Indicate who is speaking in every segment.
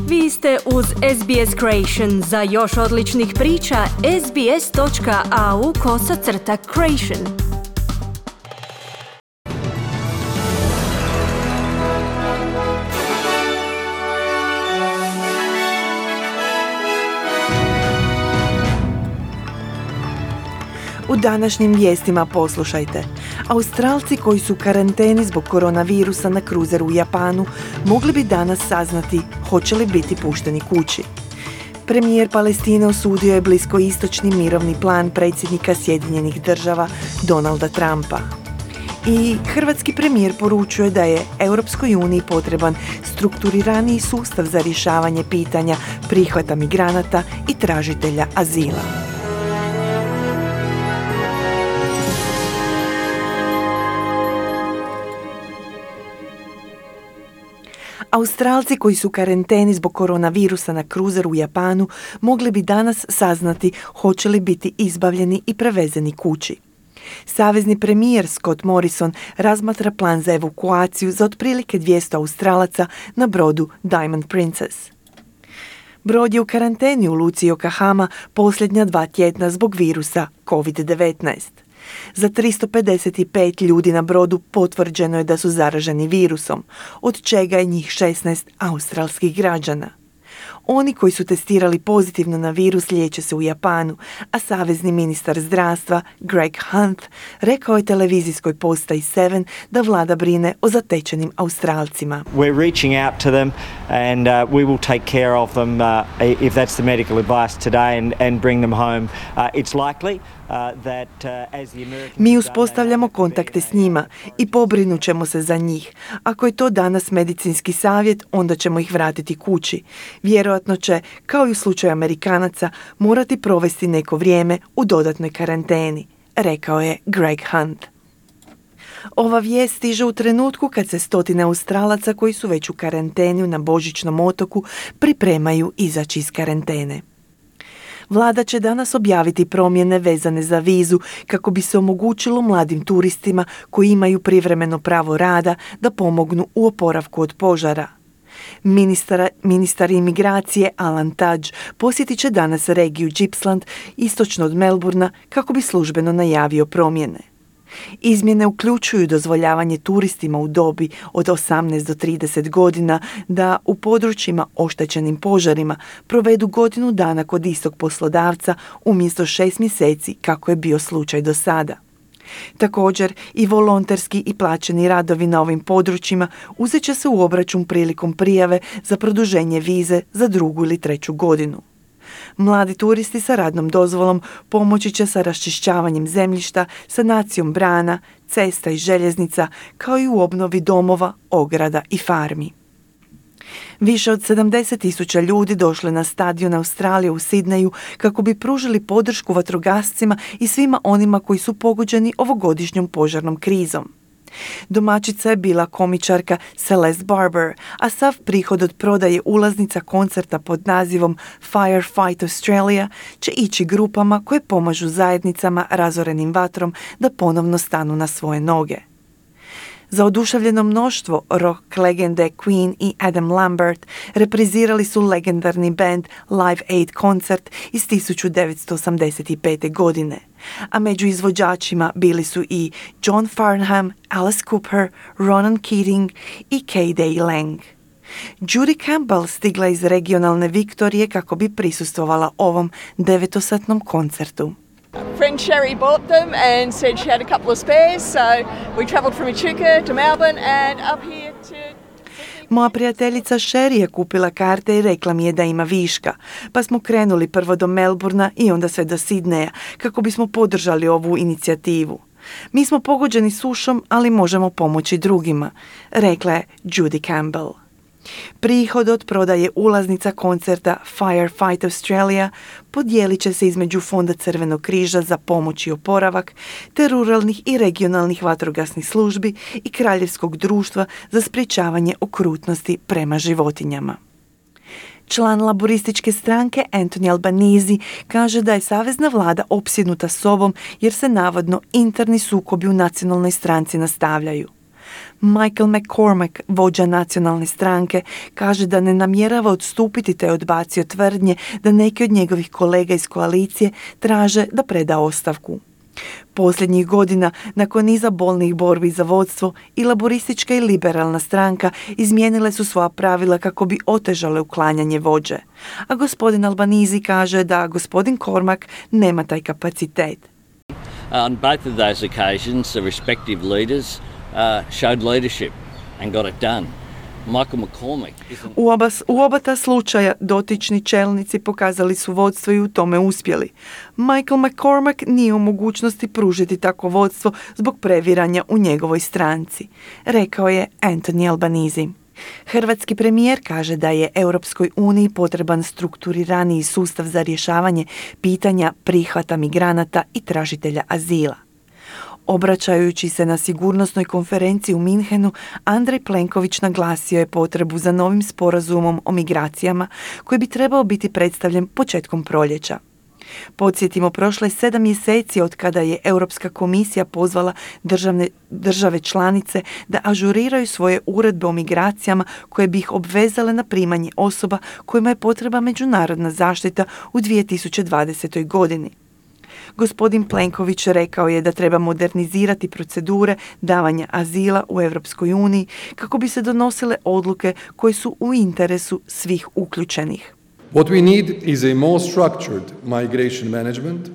Speaker 1: Vi ste uz SBS Creation. Za još odličnih priča, sbs.au/creation.
Speaker 2: U današnjim vijestima poslušajte. Australci koji su u karanteni zbog koronavirusa na kruzeru u Japanu mogli bi danas saznati hoće li biti pušteni kući. Premijer Palestine osudio je bliskoistočni mirovni plan predsjednika Sjedinjenih Država Donalda Trumpa. I hrvatski premijer poručuje da je Europskoj uniji potreban strukturiraniji sustav za rješavanje pitanja prihvata migranata i tražitelja azila. Australci koji su u karanteni zbog koronavirusa na kruzeru u Japanu mogli bi danas saznati hoće li biti izbavljeni i prevezeni kući. Savezni premijer Scott Morrison razmatra plan za evakuaciju za otprilike 200 Australaca na brodu Diamond Princess. Brod je u karanteni u luci Yokohama posljednja 2 tjedna zbog virusa COVID-19. Za 355 ljudi na brodu potvrđeno je da su zaraženi virusom, od čega je njih 16 australskih građana. Oni koji su testirali pozitivno na virus liječe se u Japanu, a savezni ministar zdravstva Greg Hunt rekao je televizijskoj postaji 7 da vlada brine o zatečenim Australcima.
Speaker 3: We're reaching out to them and we will take care of them if that's the medical advice today and bring them home. It's likely
Speaker 2: Mi uspostavljamo kontakte s njima i pobrinut ćemo se za njih. Ako je to danas medicinski savjet, onda ćemo ih vratiti kući. Vjerojatno će, kao i u slučaju Amerikanaca, morati provesti neko vrijeme u dodatnoj karanteni, rekao je Greg Hunt. Ova vijest stiže u trenutku kad se stotine Australaca koji su već u karanteni na Božićnom otoku pripremaju izaći iz karantene. Vlada će danas objaviti promjene vezane za vizu kako bi se omogućilo mladim turistima koji imaju privremeno pravo rada da pomognu u oporavku od požara. Ministar imigracije Alan Tudge posjetit će danas regiju Gippsland istočno od Melbourna kako bi službeno najavio promjene. Izmjene uključuju dozvoljavanje turistima u dobi od 18 do 30 godina da u područjima oštećenim požarima provedu godinu dana kod istog poslodavca umjesto 6 mjeseci kako je bio slučaj do sada. Također i volonterski i plaćeni radovi na ovim područjima uzet će se u obračun prilikom prijave za produženje vize za 2. ili 3. godinu. Mladi turisti sa radnom dozvolom pomoći će sa raščišćavanjem zemljišta, sanacijom brana, cesta i željeznica, kao i u obnovi domova, ograda i farmi. Više od 70,000 ljudi došlo je na stadion Australije u Sidneju kako bi pružili podršku vatrogascima i svima onima koji su pogođeni ovogodišnjom požarnom krizom. Domaćica je bila komičarka Celeste Barber, a sav prihod od prodaje ulaznica koncerta pod nazivom Firefight Australia će ići grupama koje pomažu zajednicama razorenim vatrom da ponovno stanu na svoje noge. Za oduševljeno mnoštvo rock legende Queen i Adam Lambert reprizirali su legendarni band Live Aid koncert iz 1985. godine, a među izvođačima bili su i John Farnham, Alice Cooper, Ronan Keating i K.D. Lang. Judy Campbell stigla iz regionalne Viktorije kako bi prisustvovala ovom 9-satnom koncertu.
Speaker 4: Friend Sherry bought them and said she had a couple of spares, so we travelled from Echuca to Melbourne and up here to...
Speaker 2: Moja prijateljica Sherry je kupila karte i rekla mi je da ima viška, pa smo krenuli prvo do Melbourna i onda sve do Sidneja kako bismo podržali ovu inicijativu. Mi smo pogođeni sušom, ali možemo pomoći drugima, rekla je Judy Campbell. Prihod od prodaje ulaznica koncerta Firefight Australia podijelit će se između Fonda Crvenog križa za pomoć i oporavak, te ruralnih i regionalnih vatrogasnih službi i Kraljevskog društva za sprječavanje okrutnosti prema životinjama. Član laborističke stranke Anthony Albanese kaže da je savezna vlada opsjednuta sobom jer se navodno interni sukobi u nacionalnoj stranci nastavljaju. Michael McCormack, vođa nacionalne stranke, kaže da ne namjerava odstupiti te odbacio tvrdnje da neki od njegovih kolega iz koalicije traže da preda ostavku. Posljednjih godina, nakon niza bolnih borbi za vodstvo, i laboristička i liberalna stranka izmijenile su svoja pravila kako bi otežale uklanjanje vođe. A gospodin Albanese kaže da gospodin Cormack nema taj kapacitet.
Speaker 5: On both of those occasions, the respective leaders showed leadership and got it done. Michael McCormack
Speaker 2: U oba ta slučaja dotični čelnici pokazali su vodstvo i u tome uspjeli. Michael McCormack nije u mogućnosti pružiti takvo vodstvo zbog previranja u njegovoj stranci, rekao je Anthony Albanese. Hrvatski premijer kaže da je Europskoj uniji potreban strukturiraniji sustav za rješavanje pitanja prihvata migranata i tražitelja azila. Obraćajući se na sigurnosnoj konferenciji u Minhenu, Andrej Plenković naglasio je potrebu za novim sporazumom o migracijama koji bi trebao biti predstavljen početkom proljeća. Podsjetimo, prošlo je 7 mjeseci od kada je Europska komisija pozvala države članice da ažuriraju svoje uredbe o migracijama koje bi ih obvezale na primanje osoba kojima je potreba međunarodna zaštita u 2020. godini. Gospodin Plenković rekao je da treba modernizirati procedure davanja azila u Europskoj uniji kako bi se donosile odluke koje su u interesu svih uključenih.
Speaker 6: What we need is a more structured migration management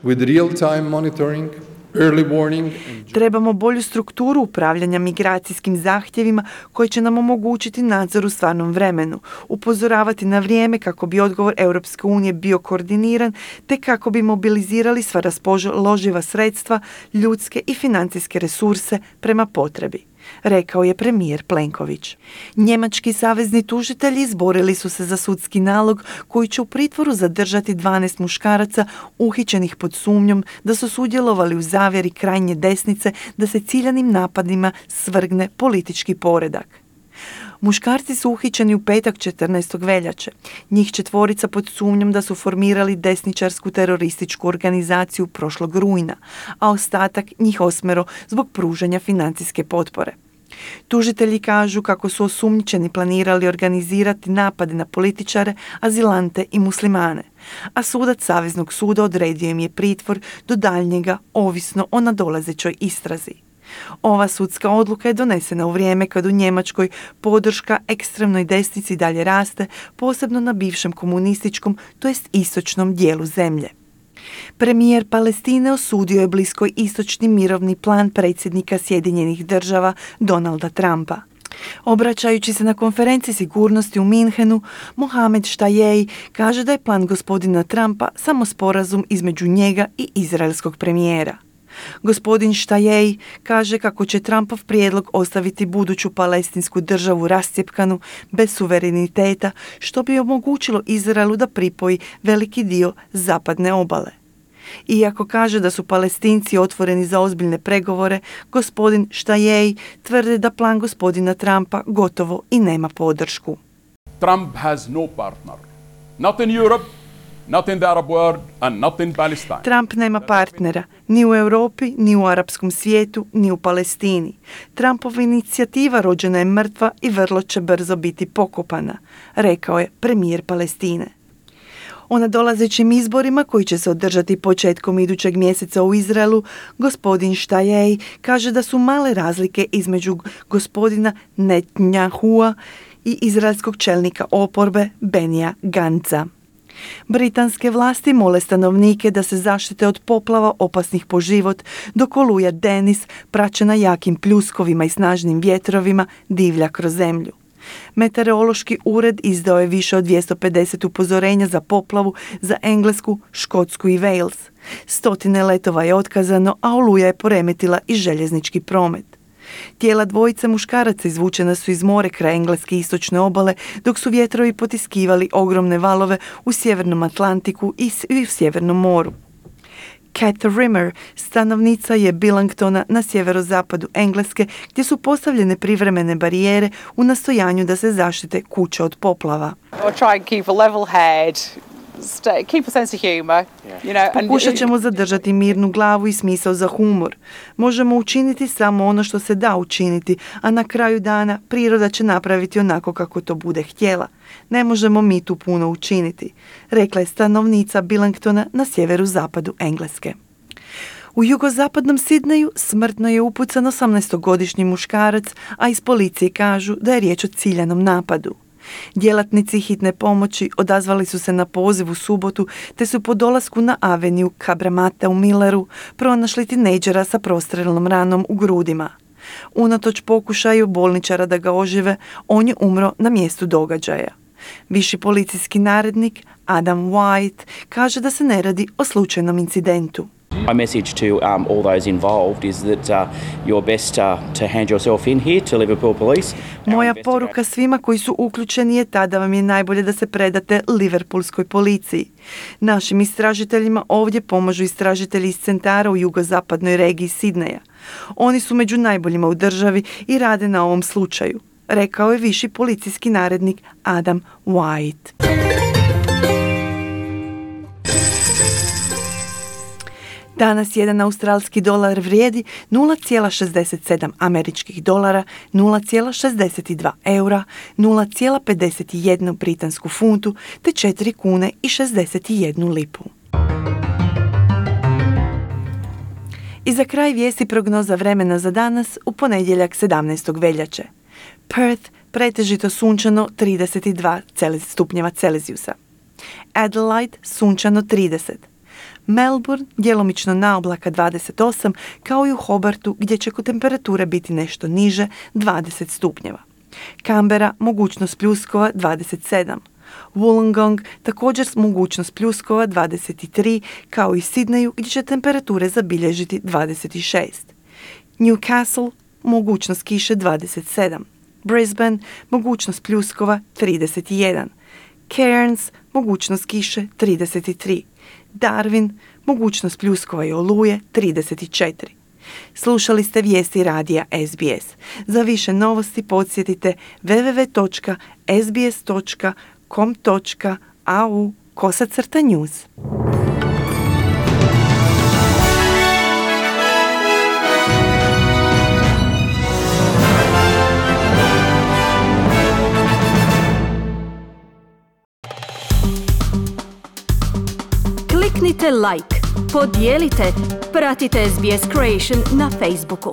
Speaker 6: with real-time monitoring, early warning.
Speaker 2: Trebamo bolju strukturu upravljanja migracijskim zahtjevima koji će nam omogućiti nadzor u stvarnom vremenu, upozoravati na vrijeme kako bi odgovor Europske unije bio koordiniran te kako bi mobilizirali sva raspoloživa sredstva, ljudske i financijske resurse prema potrebi, rekao je premijer Plenković. Njemački savezni tužitelji izborili su se za sudski nalog koji će u pritvoru zadržati 12 muškaraca uhićenih pod sumnjom da su sudjelovali u zavjeri krajnje desnice da se ciljanim napadima svrgne politički poredak. Muškarci su uhićeni u petak 14. veljače. Njih 4 pod sumnjom da su formirali desničarsku terorističku organizaciju prošlog rujna, a ostatak njih 8 zbog pružanja financijske potpore. Tužitelji kažu kako su osumnjičeni planirali organizirati napade na političare, azilante i muslimane, a sudac Saveznog suda odredio im je pritvor do daljnjega ovisno o nadolazećoj istrazi. Ova sudska odluka je donesena u vrijeme kad u Njemačkoj podrška ekstremnoj desnici dalje raste, posebno na bivšem komunističkom, to jest istočnom dijelu zemlje. Premijer Palestine osudio je bliskoj istočni mirovni plan predsjednika Sjedinjenih Država Donalda Trumpa. Obraćajući se na konferenciji sigurnosti u Minhenu, Mohamed Shtayyeh kaže da je plan gospodina Trumpa samo sporazum između njega i izraelskog premijera. Gospodin Shtayyeh kaže kako će Trumpov prijedlog ostaviti buduću palestinsku državu rascjepkanu, bez suvereniteta, što bi omogućilo Izraelu da pripoji veliki dio zapadne obale. Iako kaže da su Palestinci otvoreni za ozbiljne pregovore, gospodin Shtayyeh tvrdi da plan gospodina Trumpa gotovo i nema podršku.
Speaker 7: Trump has no partner. Not in Europe, not in the Arab world and not in Palestine.
Speaker 2: Trump nema partnera ni u Europi, ni u arapskom svijetu, ni u Palestini. Trumpova inicijativa rođena je mrtva i vrlo će brzo biti pokopana, rekao je premijer Palestine. O nadolazećim izborima koji će se održati početkom idućeg mjeseca u Izraelu, gospodin Shtayyeh kaže da su male razlike između gospodina Netanyahua i izraelskog čelnika oporbe Benija Gantza. Britanske vlasti mole stanovnike da se zaštite od poplava opasnih po život, dok oluja Denis, praćena jakim pljuskovima i snažnim vjetrovima, divlja kroz zemlju. Meteorološki ured izdao je više od 250 upozorenja za poplavu za Englesku, Škotsku i Wales. 100 letova je otkazano, a oluja je poremetila i željeznički promet. Tijela dvojice muškaraca izvučena su iz more kraj engleske istočne obale, dok su vjetrovi potiskivali ogromne valove u sjevernom Atlantiku i u Sjevernom moru. Kat Rimmer, stanovnica je Billingtona na sjeverozapadu Engleske, gdje su postavljene privremene barijere u nastojanju da se zaštite kuće od poplava.
Speaker 8: I'll try and keep a level head, keep a sense of humour, you know.
Speaker 2: Pokušat ćemo zadržati mirnu glavu i smisao za humor. Možemo učiniti samo ono što se da učiniti, a na kraju dana priroda će napraviti onako kako to bude htjela. Ne možemo mi tu puno učiniti, rekla je stanovnica Billingtona na sjeverozapadu Engleske. U jugozapadnom Sidneju smrtno je upucan 18-godišnji muškarac, a iz policije kažu da je riječ o ciljanom napadu. Djelatnici hitne pomoći odazvali su se na poziv u subotu te su po dolasku na aveniju Kabramata u Milleru pronašli tinejdžera sa prostrelnom ranom u grudima. Unatoč pokušaju bolničara da ga ožive, on je umro na mjestu događaja. Viši policijski narednik Adam White kaže da se ne radi o slučajnom incidentu.
Speaker 9: My message to all those involved is that you're best to hand yourself in here to Liverpool Police.
Speaker 2: Moja poruka svima koji su uključeni je ta da vam je najbolje da se predate Liverpoolskoj policiji. Našim istražiteljima ovdje pomažu istražitelji iz centara u jugozapadnoj regiji Sidneja. Oni su među najboljima u državi i rade na ovom slučaju, rekao je viši policijski narednik Adam White. Danas jedan australski dolar vrijedi 0,67 američkih dolara, 0,62 eura, 0,51 britansku funtu te 4 kune i 61 lipu. I za kraj vijesti prognoza vremena za danas u ponedjeljak 17. veljače. Perth pretežito sunčano 32 stupnjeva Celzijusa. Adelaide sunčano 30. Melbourne djelomično naoblaka 28, kao i u Hobartu gdje će temperature biti nešto niže 20 stupnjeva. Canberra mogućnost pljuskova 27. Wollongong također mogućnost pljuskova 23, kao i Sidneju gdje će temperature zabilježiti 26. Newcastle mogućnost kiše 27. Brisbane mogućnost pljuskova 31. Cairns mogućnost kiše 33. Darwin, mogućnost pljuskova i oluje 34. Slušali ste vijesti radija SBS. Za više novosti podsjetite www.sbs.com.au/news.
Speaker 1: Kliknite like, podijelite, pratite SBS Creation na Facebooku.